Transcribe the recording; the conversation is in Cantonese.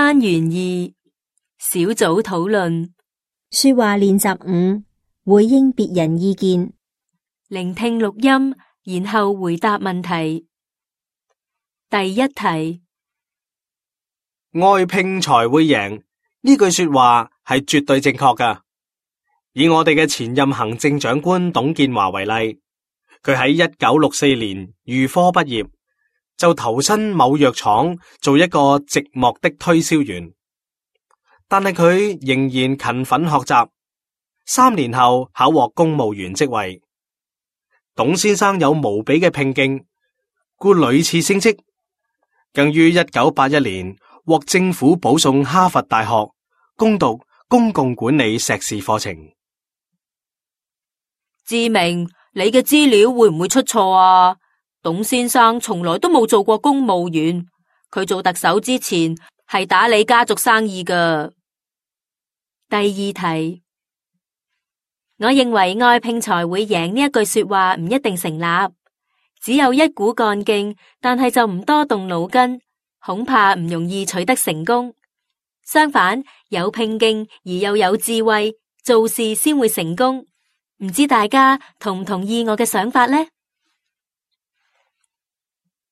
單元2小組討論。說話練習5，回應別人意見。聆聽錄音，然後回答問題。第一題：愛拼才會贏，呢句說話係絕對正確㗎。以我哋嘅前任行政長官董建華為例，佢喺1964年預科畢業，就投身某藥廠做一個寂寞的推銷員，但係佢仍然勤奮學習，3年後考獲公務員職位。董先生有無比嘅拼勁，故屢次升職，更於1981年獲政府保送哈佛大學攻讀公共管理碩士課程。志明，你嘅資料會唔會出錯啊？董先生從來都冇做過公務員，佢做特首之前係打理家族生意㗎。第二題：我認為愛拼才會贏呢一句說話唔一定成立，只有一股幹勁，但係就唔多動腦筋，恐怕唔容易取得成功。相反，有拼勁而又有智慧，做事先會成功。唔知大家同唔同意我嘅想法呢？